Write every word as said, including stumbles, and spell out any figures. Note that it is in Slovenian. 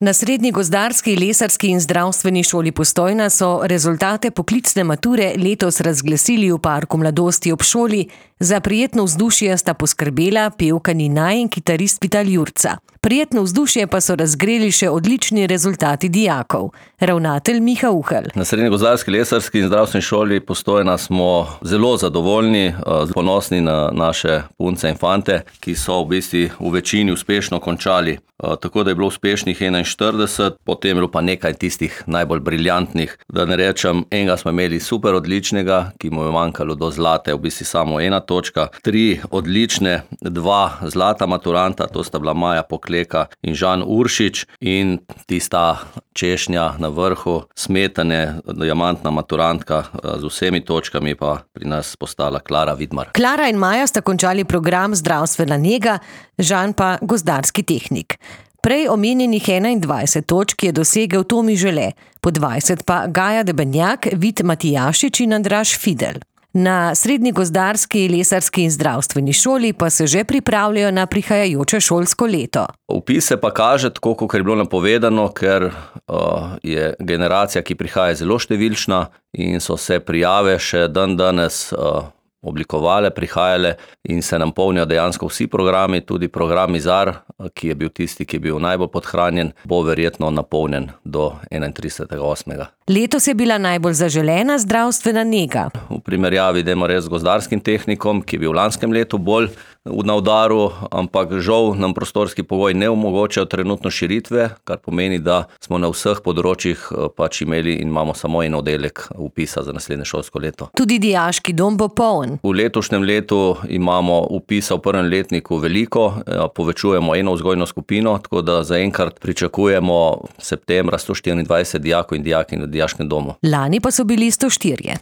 Na Srednji gozdarski, lesarski in zdravstveni šoli Postojna so rezultate poklicne mature letos razglasili v parku mladosti ob šoli. Za prijetno vzdušje sta poskrbela pevka Nina in kitarist Vital Jurca. Prijetno vzdušje pa so razgreli še odlični rezultati dijakov. Ravnatelj Miha Uhelj. Na Srednji gozdarski, lesarski in zdravstveni šoli Postojna smo zelo zadovoljni, ponosni na naše punce in fante, ki so v bistvu v večini uspešno končali. Tako da je bilo uspešnih enainštirideset, potem je bilo pa nekaj tistih najbolj briljantnih. Da ne rečem, enega smo imeli super odličnega, ki mu je manjkalo do zlate, v bistvu samo ena točka. Tri odlične, dva zlata maturanta, to sta bila Maja Pokleka in Žan Uršič, in tista češnja na vrhu, Smetane, diamantna maturantka z vsemi točkami, pa pri nas postala Klara Vidmar. Klara in Maja sta končali program zdravstvena nega, Žan pa gozdarski tehnik. Prej omenjenih enaindvajset točk je dosegel Tomi Žele, po dvajset pa Gaja Debenjak, Vid Matijašič in Andraž Fidel. Na Srednji gozdarski, lesarski in zdravstveni šoli pa se že pripravljajo na prihajajoče šolsko leto. Vpis se pa kaže, tako kot je bilo napovedano, ker uh, je generacija, ki prihaja, zelo številčna in so se prijave še dan danes uh, oblikovale, prihajale in se nam polnijo dejansko vsi programi, tudi program Izar, ki je bil tisti, ki je bil najbolj podhranjen, bo verjetno napolnjen do enaintridesetega osmega Letos je bila najbolj zaželena zdravstvena nega. V primerjavi, dajmo reči, z gozdarskim tehnikom, ki je bil v lanskem letu bolj na udaru, ampak žal nam prostorski pogoj ne omogočajo trenutno širitve, kar pomeni, da smo na vseh področjih pač imeli in imamo samo en oddelek vpisa za naslednje šolsko leto. Tudi dijaški dom bo poln. V letošnjem letu imamo vpisa v prvem letniku veliko, povečujemo eno vzgojno skupino, tako da zaenkrat pričakujemo septembra sto štiriindvajset dijakov in dijakinj v dijaškem domu. Lani pa so bili sto štirje.